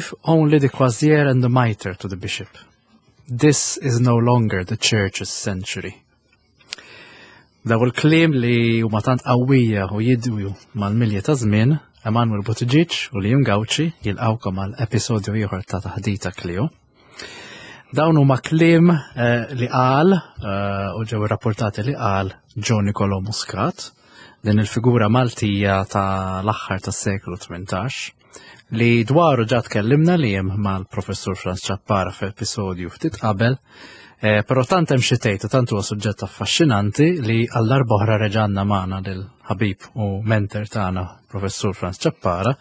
Leave only the crozier and the mitre to the bishop. This is no longer the church's century. Daw il-kliem li huma tant qawwija u jidwju mal-milja ta' żmien, Emanuel Buttigieg u Liam Gauci jilqawkom għal episodju ieħor ta' Taħdita Klio. Dawn huma kliem eh, li qal eh, u ġew irrapportati li qal John Nicolo Muscat, din il-figura Maltija ta' l-aħħar tas-seklu 18 li dwaru ġa tkellimna li hemm mal-professur Franz Ċappara f'episodju ftit qabel, eh, però tant hemm xi tgħid u tant huwa suġġett affaxxinanti li għal darb'oħra reġanna magħna lil ħabib u mentor tagħna professur Franz Ċappara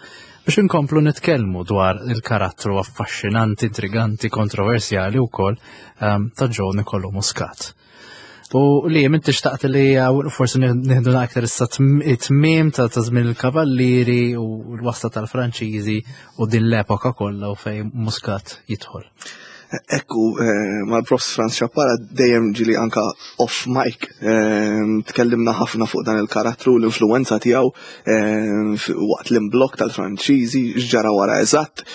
biex inkomplu nitkellmu dwar il-karattru affaxxinanti, intriganti, kontroversjali wkoll ehm, ta' Joe Nicolo Muscat. U li inti xtaqt li forsi nieħdu aktar issa it-tmiem ta' żmien il-kavallieri u l-wasta tal-Franċiżi u din l-epoka kollha u fejn Muscat jidħol. Ekku, eh, mal-Profs Franz Xappara dejjem ġili anka off mic eh, tkellimna ħafna fuq dan il-karattru l-influenza tiegħu eh, waqt l-imblok tal-Franċiżi x'ġara wara eżatt,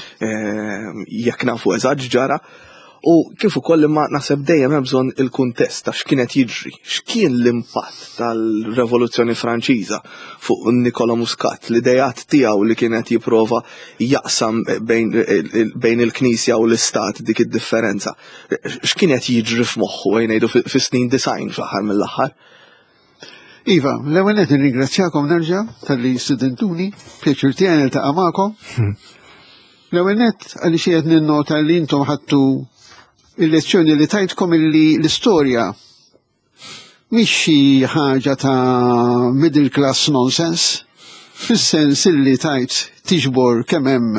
jekk nafu eżatt x'ġara. U kif ukoll imma naħseb dejjem hemm bżonn il-kuntest ta' x'kien qed jiġri, x'kien l-impatt tal-Revoluzzjoni Franċiża fuq Nicola Muscat, l-ideat tiegħu li kien qed jipprova jaqsam bejn, bejn il-Knisja u l-Istat dik id-differenza. X'kien qed jiġri f'moħħu ejn ngħidu fis-snin design fl-aħħar mill-aħħar? Iva, l-ewwel qed nirringrazzjakom nerġa' talli studentuni, pjaċir tiegħi niltaqa' magħkom. Hmm. L-ewwel nett għaliex qed ninnota li intom ħadtu il-lezzjoni li tajtkom illi l-istorja mhix xi ħaġa ta' middle class nonsense, fis-sens illi tajt tiġbor kemm hemm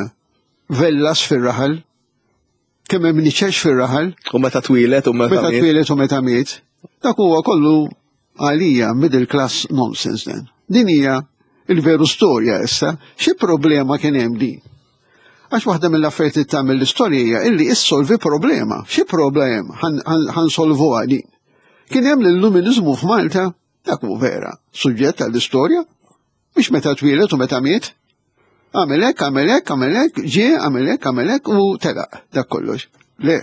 vellas fir-raħal, kemm hemm niċex fir-raħal. U meta twieled u meta Meta twieled u meta miet. Dak huwa kollu għalija middle class nonsense dan. Din hija il-veru storja issa, xi problema kien hemm din? Għax waħda mill-affarijiet li tagħmel l-istorja hija illi issolvi problema. Xi problem ħansolvuha din? Kien hemm l-illuminizmu f'Malta, dak hu vera, suġġett għall-istorja, mhix meta twieled u meta miet. Għamel hekk, għamel hekk, għamel hekk, ġie, għamel hekk, għamel hekk u telaq dak kollox. Le.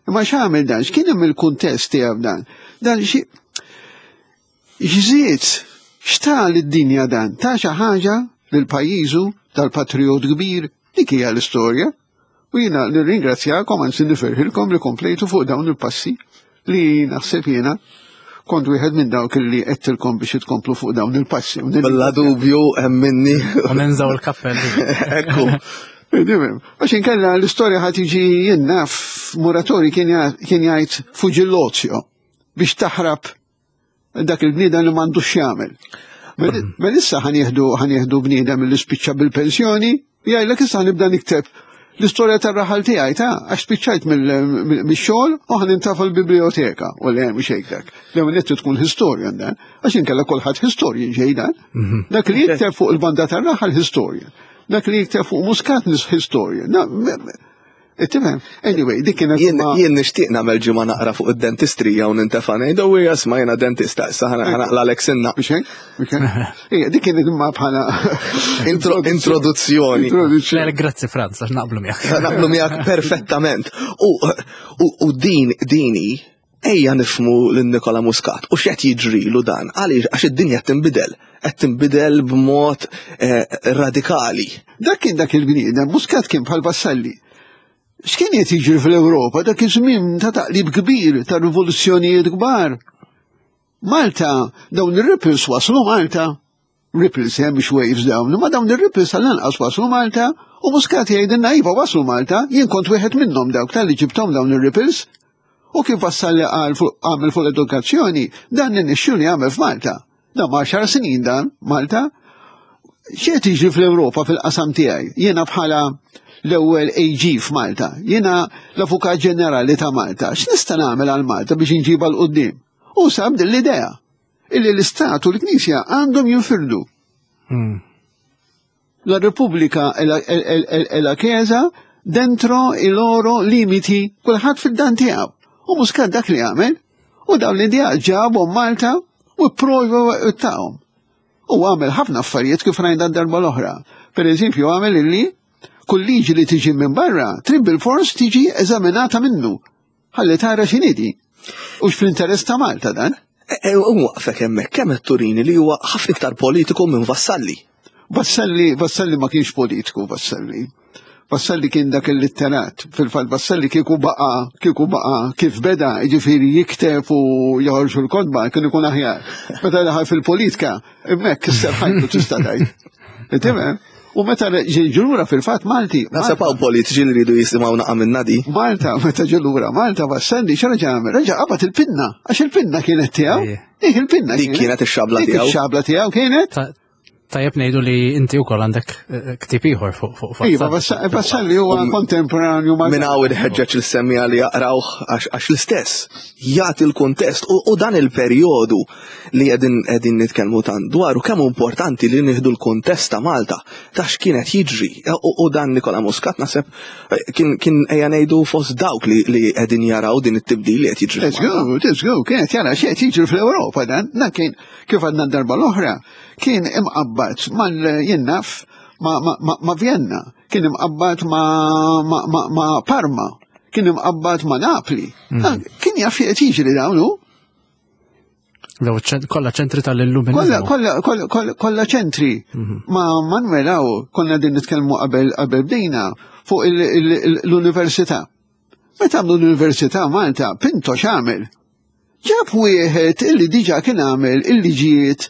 Imma x'għamel dan? X'kien hemm il-kuntest tiegħu dan? Dan xi x'żied x'ta lid-dinja dan? Ta' xi ħaġa lil pajjiżu tal-patriot kbir dik hija l-istorja. U jiena nirringrazzjakom anzi nifirħilkom li komplejtu fuq dawn il-passi li naħseb jiena kont wieħed minn dawk li qedtilkom biex tkomplu fuq dawn il-passi. Bella dubju hemm minni. U ninżaw il-kappell. Ekku. Għax inkella l-istorja ħad tiġi jien naf Muratori kien jgħid fuġillozio biex taħrab dak il-bniedem li m'għandux x'jagħmel. Mela issa ħanieħdu ħanieħdu bniedem li spiċċa bil-pensjoni, jgħidlek issa ħanibda nikteb l-istorja tar-raħal tiegħi ta' għax spiċċajt mix-xogħol u ħan intafa l-biblioteka u le mhux hekk dak. L-ewwel nett tkun historian dan, għax inkella kulħadd historian ġej dan. Mhm. Dak li jikteb fuq il-banda tar-raħal historian. Dak li jikteb fuq Muscat nis historian. Tifhem? Anyway, dik kienet Jien nixtieq nagħmel ġimgħa naqra fuq id-dentistrija u nintefa' ngħid u hija isma' jiena dentista issa ħanaqlalek sinna. Biex hekk? Ija, dik kienet imma bħala introduzzjoni. Introduzzjoni. Grazzi Franz, għax naqblu miegħek. Naqblu miegħek perfettament. U din dini ejja nifmu lil Nikola Muscat u x'qed jiġrilu dan għaliex għax id-dinja tinbidel qed tinbidel b'mod eh, radikali. Dak kien dak il-bniedem, Muscat kien bħal Vassalli. X'kien qed jiġri fl-Ewropa dak iż-żmien ta' taqlib kbir, ta' rivoluzzjonijiet kbar. Malta, dawn ir-ripples waslu Malta, ripples hemm mhux waves dawn, imma dawn ir-ripples tal-anqas waslu Malta u Muscat jgħidilna iva waslu Malta, jien kont wieħed minnhom dawk tal-li ġibthom dawn ir-ripples. U kif wassal li qal għamel fuq l-edukazzjoni, dan nixxu li għamel f'Malta. Dan ma' xar snin dan, Malta, x'qed jiġri fl-Ewropa fil-qasam tiegħi? Jiena bħala l-ewwel AG f'Malta, jiena l-Avukat Ġenerali ta' Malta, x'nista' nagħmel għal Malta biex inġibha 'l quddiem? U sab din l-idea illi l-Istat u l-Knisja għandhom jinfirdu. Hmm. La Repubblica e la, e, e, e la Chiesa dentro i loro limiti, kulħadd fid-dan tiegħu. U Muscat dak li għamel, u dawn l-idea ġabhom Malta u pprova tagħhom. U għamel ħafna affarijiet kif rajna darba l-oħra. Per eżempju, għamel illi Kull liġi li tiġi minn barra, trid bil-fors tiġi eżaminata minnu. Ħalli tara x'inhi U fl-interess ta' Malta dan? E, e, u waqfek hemmhekk kemm qed turini li huwa ħafna iktar politiku minn Vassalli. Vassalli, Vassalli ma kienx politiku, Vassalli. Vassalli kien dak il-litterat. Fil-fatt Vassalli kieku baqa, kieku baqa kif beda, jiġifieri jikteb u joħorġu l-kotba, kien ikun aħjar. Meta daħal fil-politika, hemmhekk kisser ħajtu tista' tgħid. Tifhem? U meta ġelura fil-fatt Malti. Naħseb hawn politiċi li rridu jisimgħu naqa' minna di. Malta, meta ġelura Malta Vassalli x'reġa' għamel? Reġa' qabad il-pinna, għax il-pinna kienet tiegħu. Dik il-pinna. Dik kienet ix-xabla tiegħu. Ix-xabla tiegħu kienet. Tajjeb ngħidu li inti wkoll għandek eh, ktieb ieħor fuq fuq Iva, Vassalli huwa kontemporanju ma' Minn hawn inħeġġeġ l-semmija li jaqrawh għax l-istess jagħti l-kuntest u dan il-perjodu li qegħdin qegħdin nitkellmu tant dwaru kemm hu importanti li nieħdu l-kuntest ta' Malta ta' x'kienet jiġri u dan Nikola Muscat naħseb eh, kien kien ejja ngħidu fost dawk li qegħdin jaraw din it-tibdil li qed jiġri. Let's go, let's go, kienet jara x'qed jiġri fl-Ewropa dan, dan kien kif għadna darba l-oħra, kien imqabbad mal jinnaf ma, ma, ma, ma Vienna, kien imqabbad ma, ma, ma, ma Parma, kien imqabbad ma Napli. Mm. Kien jaf qed jiġri dawn hu. Kolla ċentri tal-illuminizmu. Kolla, kolla ċentri. Mhm. Ma Manuel hawn konna din nitkellmu qabel qabel bdejna fuq l-università. Meta għamlu l-Università Malta, Pinto x'għamel? Ġab wieħed illi diġà kien għamel il-liġijiet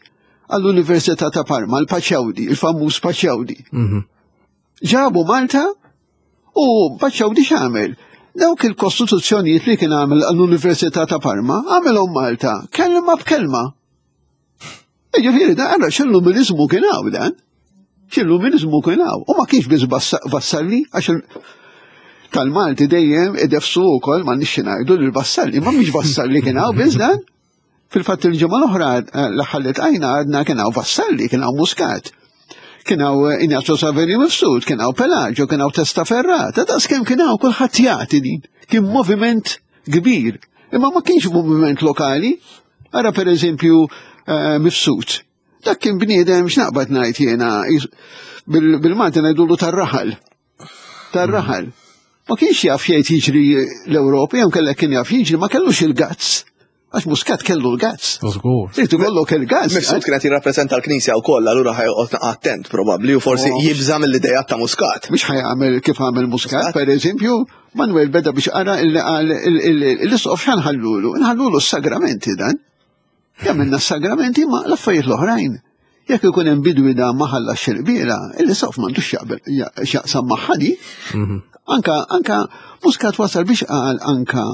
għall-Università ta' Parma, l-Paċawdi, il-famuż Paċawdi. Mhm. Ġabu Malta u Paċawdi x'għamel? Dawk il-kostituzzjonijiet li kien għamel għall-Università ta' Parma, għamilhom Malta, kelma b'kelma. Ġifieri da għara x'illuminizmu kien hawn dan. X'illuminizmu kien hawn. U ma kienx biss Vassalli għax tal-Malti dejjem idefsu wkoll ma nixxi ngħidu lil Vassalli, ma mhix Vassalli kien hawn biss dan. Fil-fatt il-ġimgħa l-oħra eh, l-aħħar li tqajna għadna kien hawn Vassalli, kien hawn Muscat. Kien hawn eh, Ignazio Saverio Mifsud, kien hawn Pelagio, kien hawn Testaferrata, daqs kemm kien hawn kulħadd jagħti din. Kien moviment kbir. Imma ma kienx moviment lokali. Ara per eżempju eh, mifsud. Dak kien bniedem x'naqbad ngħid jiena bil-Malti ngħidulu tar-raħal. Tar-raħal. Ma kienx jaf jgħid jiġri l-Ewropa, jew kellek kien jaf jiġri, ma kellux il-gazz. Għax Muscat kellu l-gazz. Żgur. Trid ikollok il-gazz. Mifsud kienet jirrappreżenta l-Knisja wkoll, allura ħajqgħod attent probabbli u forsi oh. jibża mill-idea ta' Muscat. Mhux ħajamel kif għamel Muscat, per eżempju, Manuel beda biex qara l-isqof x'ħanħallulu? Nħallulu s-sagramenti dan. Jagħmilna s-sagramenti ma l-affarijiet l-oħrajn. Jekk ikun hemm bidwi da ma ħallax il-qbiela, l-isqof m'għandux x'jaqsam magħha di. Mhm. Anka anka Muscat wasal biex qal anka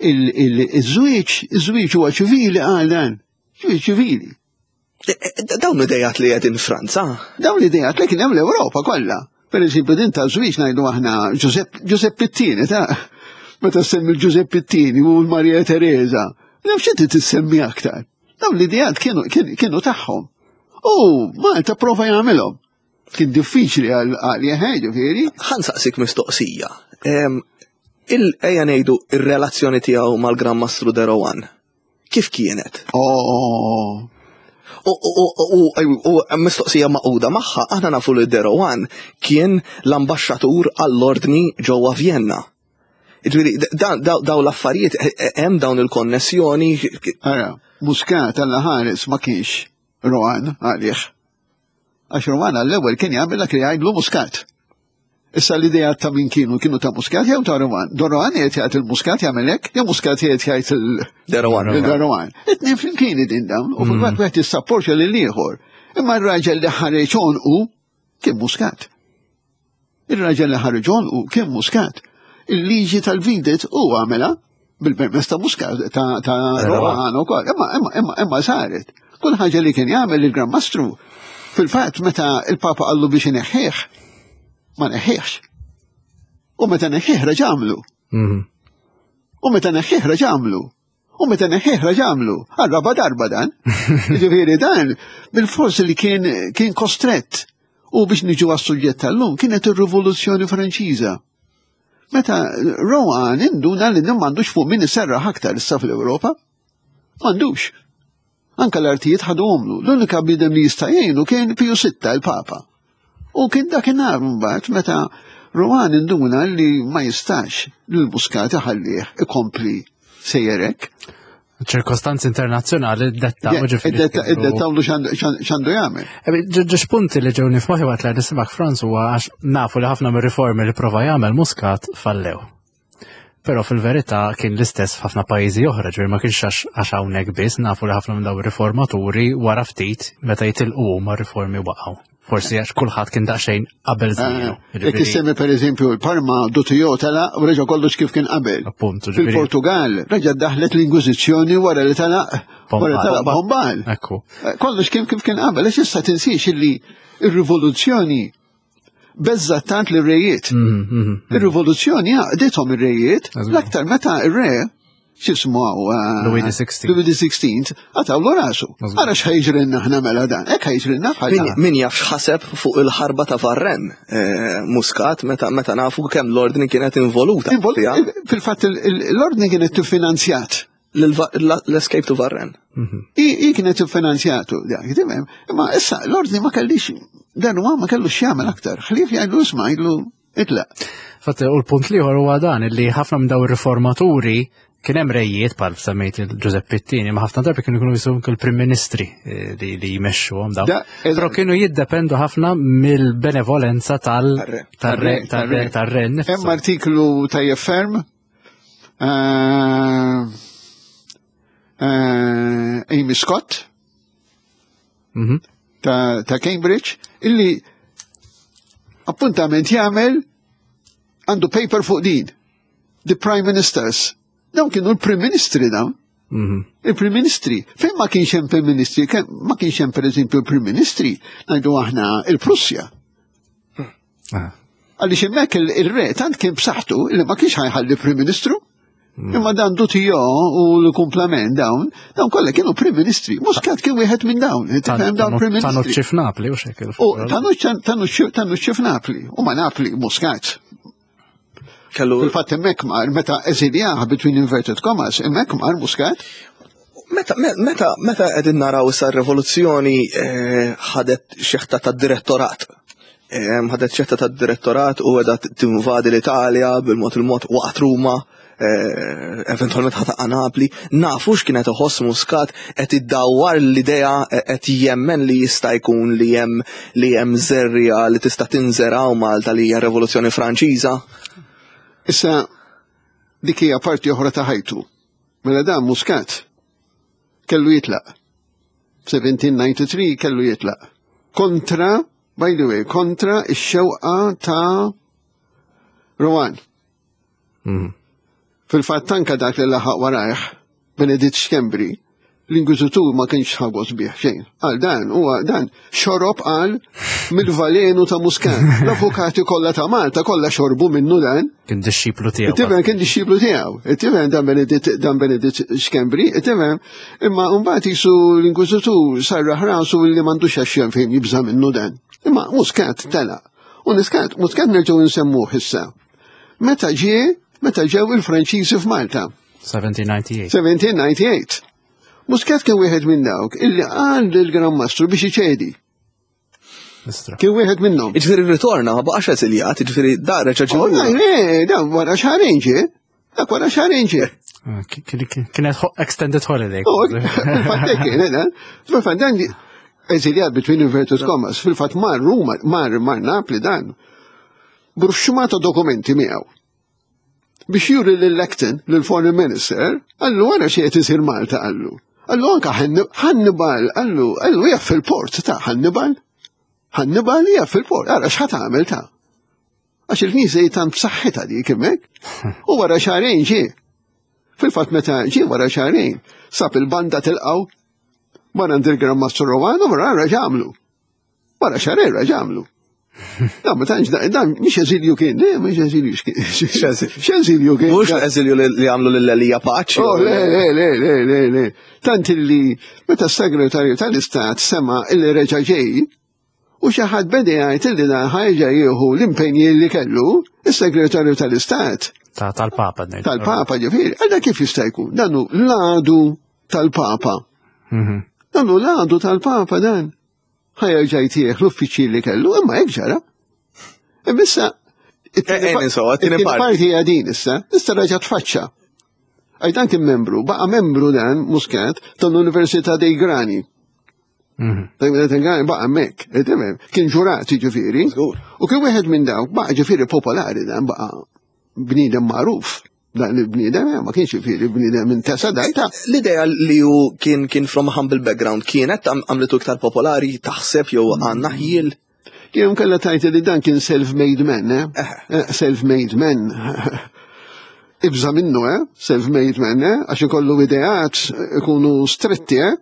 il-żwieġ, iż-żwieġ huwa ċivili qal dan. Żwieġ ċivili. E, e, dawn l-idejat li qegħdin Franza. Dawn l-idejat li kien hemm l-Ewropa kollha. Per eżempju, din ta' żwieġ ngħidu aħna Giuseppe Pittini ta' meta semmi Giuseppe Pittini u l-Maria Teresa. Naf xi tissemmi aktar. Dawn l-idejat kienu tagħhom. U Malta prova jagħmilhom. Kien diffiċli għal għalih, eh, ġifieri. Ħansaqsik mistoqsija. Il-ejja ngħidu ir-relazzjoni tiegħu mal-Gran Mastru Derowan. Kif kienet? Oh. U mistoqsija maquda magħha, aħna nafu li Derowan kien l-ambaxxatur għall-ordni ġewwa Vienna. Ġifieri, daw l-affarijiet e, e, hemm dawn il-konnessjoni. Ara, Muscat għalla ħares ma kienx Rowan għalih. Għax Rowan għall-ewwel kien jagħmel dak li jgħidlu Muscat. Issa l-idea ta' min kienu, kienu ta' Muscat jew ta' Rowan. Don Rowan jgħid jgħid il-Muscat jagħmel hekk, jew Muscat jgħid jgħid il-Rowan. Il-Rowan. It-tnejn flimkien din dawn, u fil-fatt mm. wieħed jissapportja lil ieħor. Imma r-raġel li ħareġ u kien Muscat. Ir-raġel li ħareġ u kien Muscat. Il-liġi tal-videt u għamela bil-permess ta' Muscat ta' Rowan ukoll, imma imma imma imma saret. Kull ħaġa li kien jagħmel il-Gran Mastru, fil-fatt meta il-Papa qallu biex ineħħih, ma neħħihx. U meta neħħih reġa' għamlu. Mhm. U meta neħħih reġa' għamlu. U meta neħħih reġa' għamlu. Għal-raba darba dan. Ġifieri dan bil-fors li kien kien kostrett. U biex niġu għas-suġġett tal-lum kienet ir-Rivoluzzjoni Franċiża. Meta Rowan induna li m'għandux fuq min iserraħ aktar issa fl-Ewropa. M'għandux. Anka l-artijiet ħaduhomlu. L-unika bniedem li jista' jgħinu kien Piju Sitta, il-Papa. U kien dakinhar mbagħad meta Rohan induna li ma jistax li l-Muscat iħallih ikompli sejjerek. ċirkostanzi internazzjonali dettaw ġifieri. Dettaw lu x'għandu jagħmel. Ġeġ punti li ġewni f'moħħi waqt li nisimak Franz huwa għax nafu li ħafna mir-riformi li prova jagħmel Muscat fallew. Però fil-verità kien l-istess f'ħafna pajjiżi oħra, ġifieri ma kienx għax hawnhekk biss, nafu li ħafna minn dawn ir-riformaturi wara ftit meta jitilqu huma riformi waqgħu. Forsi għax kulħadd kien daqsxejn qabel żmienu. Eh, jekk issemmi pereżempju l-Parma Dutijo telaq u reġa' kollox kif kien qabel. Appuntu. Fil-Portugal reġa' daħlet l-Inkwiżizzjoni wara li telaq wara telaq Bombal. Ekku. Eh, kollox kien kif kien qabel, għax issa tinsiex illi ir-rivoluzzjoni beżżat tant li rejiet. Mm, mm, mm. Ir-rivoluzzjoni għaqdithom ir-rejiet, l-aktar meta ir-re x'ismu eh, Louis XVI. Louis XVI għatawlu rasu. Ara x'ħajġrinna ħna mela dan, hekk ħajġrinna bħal Min jaf x'ħaseb fuq il-ħarba ta' Varren eh, Muscat meta meta nafu kemm l-ordni kienet involuta. Fil-fatt l-ordni kienet tiffinanzjat l-escape to Varren. Mhm. I kienet finanzjatu, imma issa l-ordni ma kellix, dan huwa ma kellux jagħmel aktar, ħlief jgħidlu isma' jgħidlu itlaq. Fatt u l-punt liħor huwa dan li ħafna minn daw ir-riformaturi kien hemm rejiet bħal semmejt il-Giuseppe Pittini, ma ħafna drabi kienu jkunu jisum il-Prim Ministri eh, li, li jmexxuhom dawn. Però kienu jiddependu ħafna mill-benevolenza tal-re tal-re tal-re. Hemm artiklu tajjeb ferm Eh, eh, Amy Scott mhm. ta' Cambridge illi appuntament jagħmel għandu paper fuq din. The Prime Ministers. Dawn kienu l-Prim Ministri dawn. Mhm. Il-Prim Ministri. Fejn ma kienx hemm Prim Ministri, ma kienx hemm pereżempju il-Prim Ministri, ngħidu aħna il-Prussja. Ah. Għaliex hemmhekk il-re tant kien b'saħħtu li ma kienx ħajħalli Prim Ministru. Hmm. Imma dan Dutijo u l-kumplament dawn, dawn kollha kienu Prim Ministri. Muscat kien wieħed minn dawn, tifhem dawn Prim Ministri. Tanucci f'Napli u xekil. U Tanucci f'Napli, u ma Napli Muscat. Kellu. Fil-fatt hemmhekk mar meta eżiljah between inverted commas, hemmhekk mar Muscat. Meta meta meta qegħdin naraw issa r-rivoluzzjoni eh, ħadet xeħta tad-direttorat. Eh, ħadet xeħta tad-direttorat u qiegħda tinvadi l-Italja bil-mod il-mod waqt Ruma, eh, eventualment ħataqa Napli. Nafu x'kienet iħoss Muscat qed iddawwar l-idea qed jemmen li jista' jkun li hemm li hemm żerriegħa li tista' tinżera u Malta li hija Revoluzzjoni Franċiża. Issa dik hija parti oħra ta' ħajtu. Mela dan Muscat kellu jitlaq. 1793 kellu jitlaq. Kontra, by the way, kontra ix-xewqa ta' Rowan. Mm. Fil-fatt anka dak li laħaq warajh, Beneditt Schembri, l-inkwiżitur ma kienx ħagos bih xejn. Għal dan huwa dan xorob qal mill-valenu ta' Muscat. L-avukati kollha ta' Malta kollha xorbu minnu dan. Kien dixxiplu tiegħu. Tifhem kien dixxiplu tiegħu. Tifhem dan Beneditt dan Beneditt Schembri, tifhem imma mbagħad jisu l-inkwiżitur sarraħ rasu li m'għandux għax fejn jibża' minnu dan. Imma Muscat telaq. U Muscat Muscat nerġgħu nsemmuh issa. Meta ġie, meta ġew il-Franċiżi f'Malta. 1798. 1798. Muscat kien wieħed minn dawk illi qal lill-Gran Mastru biex iċedi. Kien wieħed minnhom. Iġifieri ritorna ma baqax eżiljat, jiġifieri da reġa' ġie. Oh, le, da wara xahrejn ġie. Dak wara xahrejn ġie. Ah, kienet extended holiday. Oh, fil-fatt kien, eh, fil-fatt dan eżiljat between inverted commas, fil-fatt mar Ruma, mar mar Napli dan. Bruxxumata dokumenti miegħu. Biex juri lil Acton, lil Foreign Minister, għallu għara xie qed isir Malta għallu. Għallu anka Hannibal, għallu, għallu jaf fil-port ta' Hannibal. Hannibal jaf fil-port, għara x'ħat għamel ta' Għax il-knisja jitan b'saħħitha dik hemmhekk. U wara xahrejn ġie. Fil-fatt meta ġie wara xahrejn, sab il-banda tilqaw, wara għand il-Gran Mastru Romano, wara ġamlu. Wara xahrejn raġa' għamlu. Da, ma tantx dan mhix eżilju kien, le mhix eżilju x'kien. X'eżilju kien. Mhux eżilju li għamlu lil Elija Paċi. Oh, le, le, le, le, le, le. Tant illi meta s-segretarju tal-Istat sema illi reġa' ġej, u xi ħadd beda jgħid illi dan ħajġa jieħu l-impenji li kellu, is-segretarju tal-Istat. Tal-Papa. Tal-Papa ġifieri, għalda kif jista' jkun? Dan hu l-għadu tal-Papa. Mhm. Dan hu l-għadu tal-Papa dan. Ħajerġa' jtieħ l-uffiċċji li kellu, imma hekk ġara. Imma issa It-tieni parti hija din issa, issa reġa' tfaċċa. Għaj dan kien membru, baqa' membru dan Muscat tal-Università dei Grani. Tal-Università dei Grani baqa' hemmhekk, kien ġurat jiġifieri. U kien wieħed minn dawk baqa' ġifieri popolari dan baqa' bniedem magħruf. Dan il-bniedem eh, ma kienx jiġifieri bniedem minn tesa dajta. L-idea li hu kien kien from a humble background kienet għamlitu iktar popolari taħseb jew għandna ħjiel. Jew kella tajt li dan kien self-made man, eh? eh self-made man. Ibża minnu, eh? Self-made man, eh? Għax ikollu ideat ikunu stretti, eh?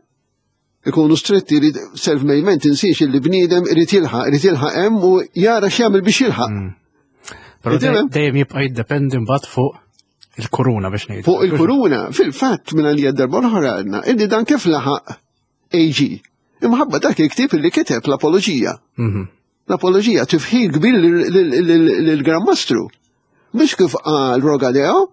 Ikunu stretti li self-made man tinsiex li bniedem irid jilħaq, irid jilħaq hemm u jara x'jagħmel biex jilħaq. Mm. Però dejjem jibqa' jiddependi mbagħad fuq il-kuruna biex ngħidu. Fuq il-kuruna, fil-fatt minn għalija darba l-oħra għadna, illi dan kif laħaq AG. Imħabba dak il-ktieb li kiteb l-apoloġija. Mhm. L-apoloġija tifħir kbir lill-Gran Mastru. Mhux kif qal Rogadeo,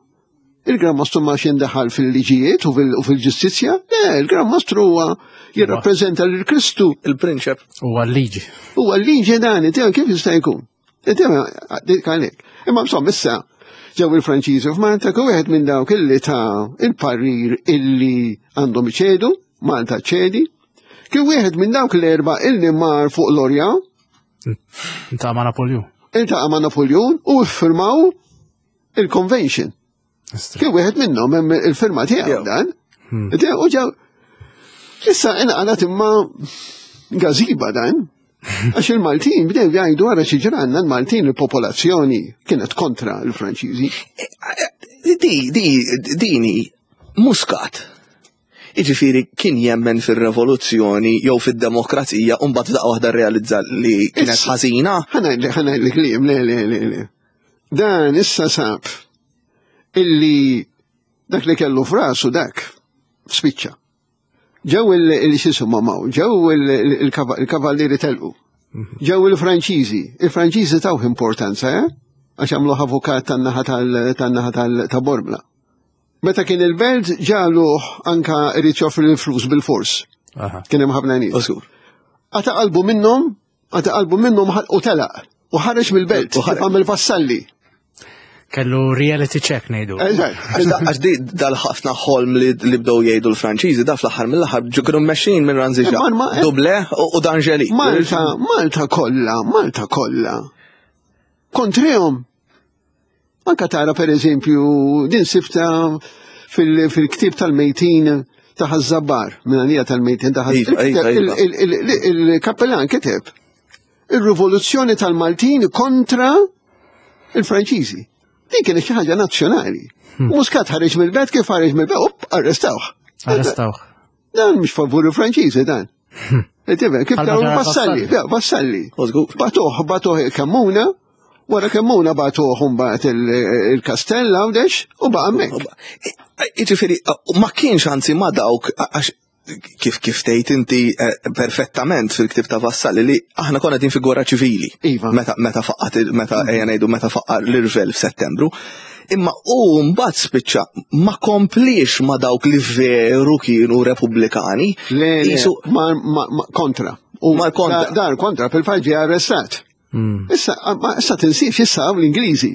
il-Gran Mastru ma jindaħal fil-liġijiet u fil-ġustizzja, le, il-Gran Mastru huwa jirrappreżenta lil Kristu. Il-prinċep. Huwa l-liġi. Huwa l-liġi dan, kif jista' jkun. Imma insomma issa ġew il-Franċiżi f'Malta kien wieħed minn dawk illi ta' il-parir illi għandhom iċedu, Malta ċedi, kien wieħed minn dawk l-erba' illi mar fuq l-Orja. Intaqa' ma' Napoleon. Intaqa' ma' Napoleon u ffirmaw il-convention. Kien wieħed minnhom hemm il-firma tiegħu dan. Hmm. U ġew issa inqalat imma gażiba dan. Għax il-Maltin bdew jgħidu għara xi ġranna l-Maltin il-popolazzjoni kienet kontra l-Franċiżi. Di, di, dini, Muscat. Iġifieri kien jemmen fir-revoluzzjoni jew fid-demokrazija u mbagħad daqqa waħda rrealizza li kienet ħażina. Ħa ngħidlek li, le, le, le, le. Dan issa sab illi dak li kellu frasu dak spiċċa. Ġew il-xisuma maw, ġew il-kavallieri telqu. Mhm. Ġew il-Franċiżi, il-Franċiżi tawh importanza, eh? Għax għamlu avukat tan-naħa tan-naħa ta' Bormla. Meta kien il-belt ġaluh anka irid joffri l-flus bil-fors. Kien hemm ħafna nies. Għata qalbu minnhom, għata qalbu minnhom u telaq. U ħareġ mill-belt, u għamel vassalli. Kellu reality check ngħidu. Għax di dal-ħafna ħolm li bdew jgħidu l-Franċiżi da fl-aħħar mill-aħħar ġu kienu mmexxin minn Ranziġa. Duble u D'Angeli. Malta, Malta kollha, Malta kollha. Kontrihom Anka tara per eżempju din sifta fil-ktib tal-mejtin ta' Ħaż-Żabbar, minn għalija tal-mejtin ta' Iva, iva, iva. Il-kappellan kiteb il-rivoluzzjoni tal-Maltin kontra il-Franċiżi. Din kienet xi ħaġa nazzjonali. Hmm. Muscat ħareġ mill-bed kif ħareġ mill-bed, up, arrestawh. Arrestawh. Dan mhux favur il-Franċiżi dan. Hmm. Kif taw Vassalli, Vassalli. Batuh, batuh il-Kammuna, wara Kammuna batuh mbagħad il-Kastell Għawdex u baqa' hemmhekk. Jiġifieri ma kienx anzi ma dawk għax kif kif tgħid inti eh, perfettament fil-ktib ta' Vassalli li aħna konna din fi gwerra ċivili. Iva. Meta meta faqqat meta ejja ngħidu meta faqqar l-irvel f'Settembru. Imma u mbagħad spiċċa ma kompliex ma dawk li veru kienu repubblikani. Le, ma, ma, ma kontra. U ma kontra. Dar kontra fil-fatt ġie arrestat. Hmm. Issa, ma issa tinsiex issa l-Ingliżi.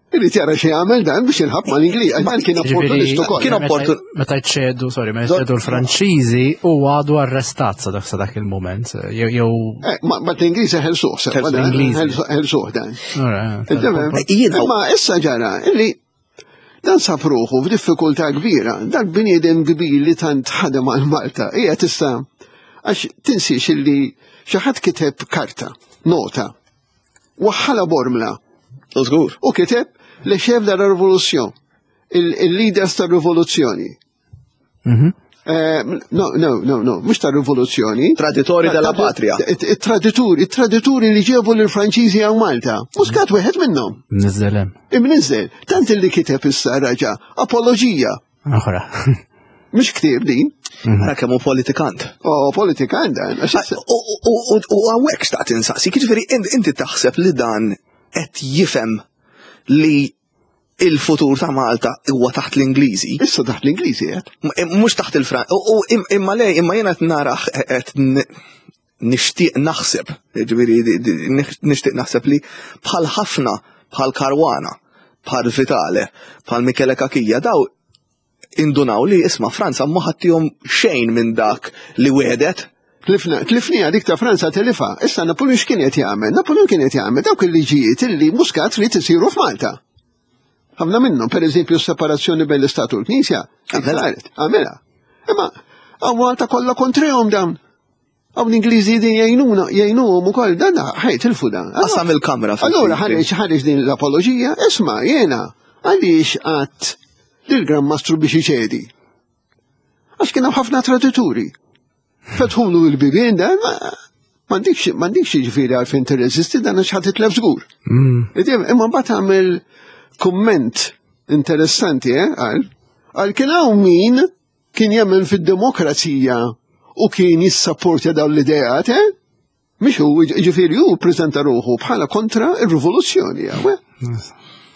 Irid jara xi jagħmel dan biex jilħab mal-Ingliż. Dan kien opportunist ukoll. Kien opportun. Meta jċedu, sorry, meta jċedu l-Franċiżi u għadu arrestat sa dak sa dak il-moment. Jew. Eh, ma l-Ingliżi ħelsuh, ħelsuh dan. Imma issa ġara illi dan sab ruħu f'diffikultà kbira, dak bniedem kbir li tant ħadem għal Malta, hija tista' għax tinsiex illi xi ħadd kiteb karta, nota, waħħala Bormla. Żgur. U kiteb le chef de la révolution, il-leaders tar-rivoluzzjoni. Mhm. Eh, no, no, no, no, mux ta' rivoluzzjoni. Traditori della patria. Tradituri, tradituri li ġebu l-Franċiżi għaw Malta. Muscat wieħed minnhom. Nizzelem. Imnizzel. Tant li kiteb issa raġa, apologija. Oħra. Mux ktib din. Mhm. Ara kemm hu politikant. Oh, politikant dan. U għawek xtaqt insaqsi, jiġifieri inti taħseb li dan qed jifhem li il-futur ta' Malta huwa taħt l-Ingliżi. Issa taħt l-Ingliżi qed. Eh, mhux taħt il-Fran. U imma le, imma jiena qed naraħ qed nixtieq naħseb, ġifieri nixtieq naħseb li bħal ħafna bħal Caruana, bħal Vitale, bħal Michele Cachia, daw indunaw li isma' Franza ma ħattihom xejn minn dak li wedet. Tlifna, tlifnija dik ta' Franza telifa. Issa Napoleon x'kien qed jagħmel? Napoleon kien qed jagħmel dawk il-liġijiet illi Muscat trid isiru f'Malta. Ħafna minnhom, pereżempju s-separazzjoni bejn l-Istat u l-Knisja, saret, għamilha. Imma hawn Malta kollha kontrihom dawn. Hawn l-Ingliżi din jgħinuna, jgħinuhom ukoll dan ħajt il dan. Qasam il-kamra. Allura ħareġ ħareġ din l-apoloġija, isma' jiena għaliex qatt lill-Gran Mastru biex iċedi. Għax kien hemm ħafna tradituri. Fetħulu l-bibien dan, m'għandikx m'għandikx jiġifieri għalfejn tirreżisti dan għax ħadd titlef żgur. Mm. Imma mbagħad għamel kumment interessanti, eh, għal għal kien hawn min kien jemmen fid-demokrazija u kien jissapportja dawn l-ideat, eh? Mhix hu, ġifieri hu ppreżenta ruħu bħala kontra r-rivoluzzjoni, eh?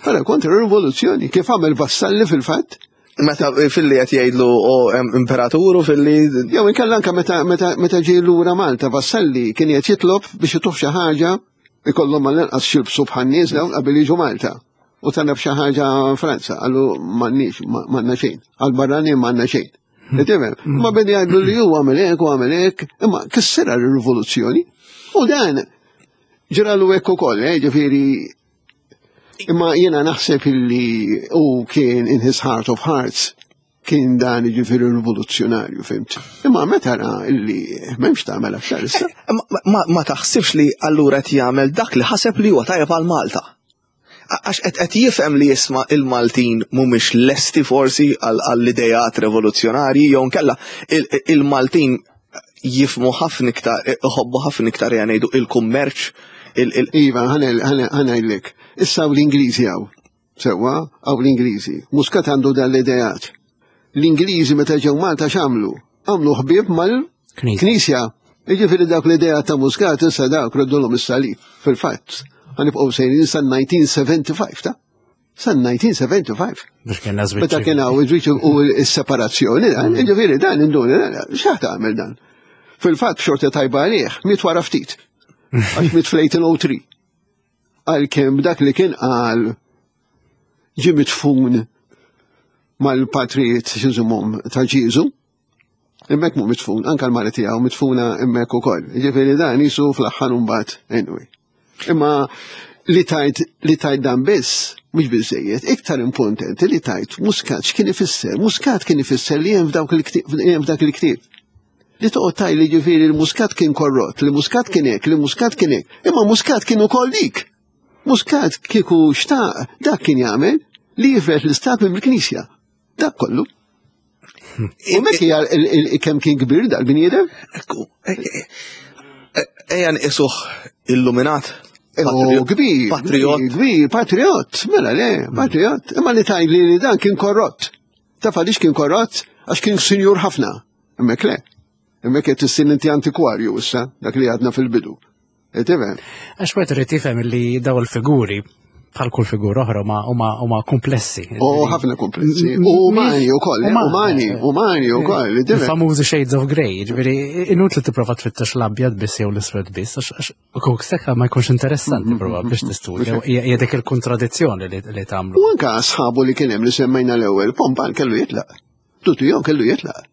Bħala kontra r-rivoluzzjoni, kif għamel Vassalli fil-fatt. Meta filli qed jgħidlu o imperaturu filli. Jew inkella anke meta meta meta ġie lura Malta Vassalli kien qed jitlob biex ituh xi ħaġa ikollhom mal-inqas xilbsu bħan-nies dawn qabel jiġu Malta. U talab xi ħaġa Franza, qallu m'għandniex, m'għandna xejn. Għal barrani m'għandna xejn. Tifhem? Ma bedi jgħidlu li hu għamel hekk u għamel hekk, imma kissirha r-rivoluzzjoni. U dan ġralu hekk ukoll, eh, ġifieri imma jiena naħseb illi hu kien in his heart of hearts kien dan ġifieri rivoluzzjonarju, fimt? Imma meta ra illi m'hemmx tagħmel aktar issa. Eh, ma taħsibx li allura qed jagħmel dak li ħaseb li huwa tajjeb għal Malta? Għax qed jifhem li jisma' il-Maltin mhumiex lesti forsi għall-idejat revoluzzjonarji jew nkella il-Maltin jifmu ħafna iktar, iħobbu ħafna iktar jgħidu il-kummerċ. Iva, ħanajlek. Issa l-Ingliżi hawn. Sewwa, hawn l-Ingliżi. Muscat għandu dan l-idejat. L-Ingliżi meta ġew Malta x'għamlu? Għamlu ħbieb mal-Knisja. Jiġifieri dawk l-idea ta' Muscat issa dawk reddulhom is-salib. Fil-fatt, ħanibqgħu sejrin sa 1975 ta' sa 1975. Biex kien żwieġ. Meta kien hawn iż-żwieġ u s-separazzjoni, dan, mm. jiġifieri dan induni, x'aħ tagħmel dan? Fil-fatt xorta tajba għalih, miet wara ftit. Għax miet fl-1803. Għalkemm dak li kien qal ġie mitfun mal-patrijiet x'inżumhom ta' Ġieżu, hemmhekk mhu mitfun, anke l-mara tiegħu mitfuna hemmhekk ukoll. Jiġifieri dan jisu fl-aħħar imbagħad anyway. Imma li tajt li tajt dan biss mhux biżejjed, iktar importanti li tajt Muscat x'kien ifisser? Muscat kien ifisser li hemm f'dawk il-ktieb f'dak il-ktieb. Li toqgħod tajt li ġifieri l-Muscat kien korrott, li Muscat kien hekk, li Muscat kien hekk. Imma Muscat kien ukoll dik. Muscat kieku xtaq dak kien jagħmel li jifred l-istat minn il-Knisja. Dak kollu. U mek hija kemm kien kbir dal-bniedem? Ekku, ejja nqisuh illuminat. Oh, kbir, patriot. Kbir, patriot, mela le, patriot. Imma li tajli li dan kien korrott. Taf għaliex kien korrott? Għax kien sinjur ħafna. Imma le. Imma qed issir inti antikwarju issa, dak li għadna fil-bidu. Tifhem? Għax wieħed irid jifhem li daw il-figuri bħal kull figura oħra huma huma komplessi. U ħafna komplessi. Umani wkoll, eh, umani, umani wkoll. Il-famużi Shades of Grey, ġifieri inutli tipprova tfittex l-abjad biss jew l-iswed biss, għax kuk sekka ma jkunx interessanti prova biex tistudja, hija dik il-kontradizzjoni li tagħmlu. U anke sħabu li kien hemm li semmejna l-ewwel, Pompan kellu jitlaq. Tutu kellu jitlaq.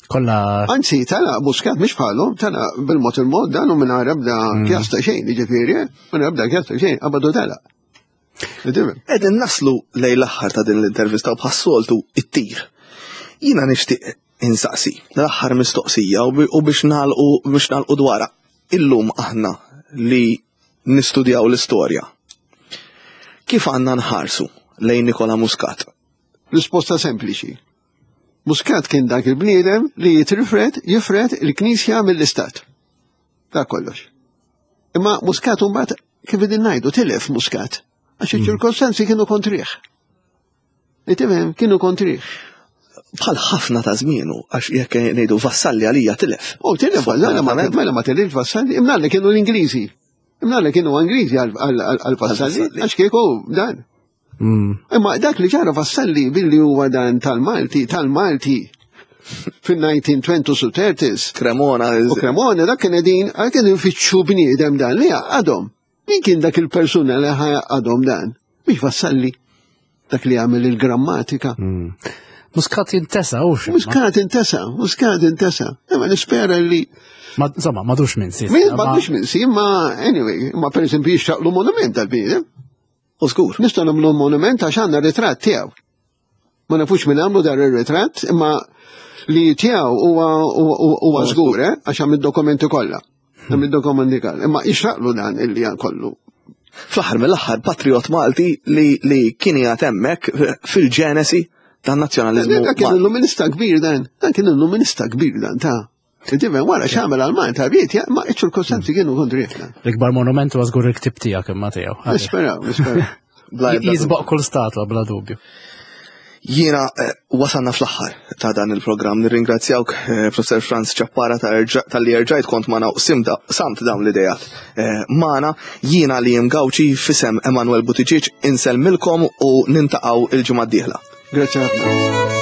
Kolla. Anzi, tala, Muscat mhix bħalhom, tala bil-mod il-mod dan u minn ebda mm. kjasta xejn, jiġifieri, eh? minn ebda kjasta xejn, qabadu tala. Qegħdin naslu lejn l-aħħar ta' din l-intervista u bħas-soltu it-tir. Jiena nixtieq insaqsi l-aħħar mistoqsija u biex nagħlqu biex nagħlqu dwarha. Illum aħna li nistudjaw l-istorja. Kif għandna nħarsu lejn Nikola Muscat? Risposta sempliċi. Muscat kien dak il-bniedem li jitrifred, jifred il-Knisja mill-Istat. Dak kollox. Imma Muscat mbagħad kif idin ngħidu tilef Muscat għax hmm. iċ-ċirkostanzi kienu kontrih. Itimem kienu kontrih. Bħal ħafna ta' żmienu għax jekk ngħidu Vassalli għalija tilef. Oh, tilef, mela ma tilef Vassalli, imma li kienu l-Ingliżi. Imma li kienu Ingliżi għal Vassalli, għax kieku dan. Mm. Imma dak li ġara Vassalli billi huwa dan tal-Malti, tal-Malti fil-1920s u 30s. Cremona. U Cremona dak kien qegħdin għal kien ifittxu bniedem dan li għadhom. Min kien dak il-persuna li ħa jgħaqqadhom dan? Mhix Vassalli, dak li għamel il-grammatika. Muscat jintesa, u xi. Muscat intesa, Muscat intesa. Imma nispera li Ma, insomma, madux minn si. Min m'għandux minn si, imma anyway, imma per eżempju jixtaqlu monument dal-bniedem. U żgur. Nistgħu nagħmlu monument għax għandna ritratt tiegħu. Ma nafux minn għamlu dar ir-ritratt, imma li tiegħu huwa huwa żgur, eh, għax hemm id-dokumenti kollha. Hemm id-dokumenti kollha. Imma jixraqlu dan illi kollu. Fl-aħħar mill-aħħar patriot Malti li, li kien qiegħed hemmhekk fil-ġenesi tan-nazzjonaliżmu. Dak kien il-luminista kbir dan, dan kien il-luminista kbir dan ta' Tifhem wara x'għamel għal Malta ried, ma iċ-ċirkostanzi kienu kontri. L-ikbar monument huwa żgur il-ktib tiegħek imma tiegħu. Nisperaw, nisperaw. Jisboq kull statwa bla dubju. Jiena eh, wasalna fl-aħħar ta' dan il-programm. Nirringrazzjawk eh, Professor Franz Ċappara tal-li erġajt kont magħna u samt dawn l-idejat eh, magħna. Jiena li Gawċi fisem Emanuel Buttigieg insellmilkom u nintaqgħu il-ġimgħa d-dieħla. Grazie ħafna.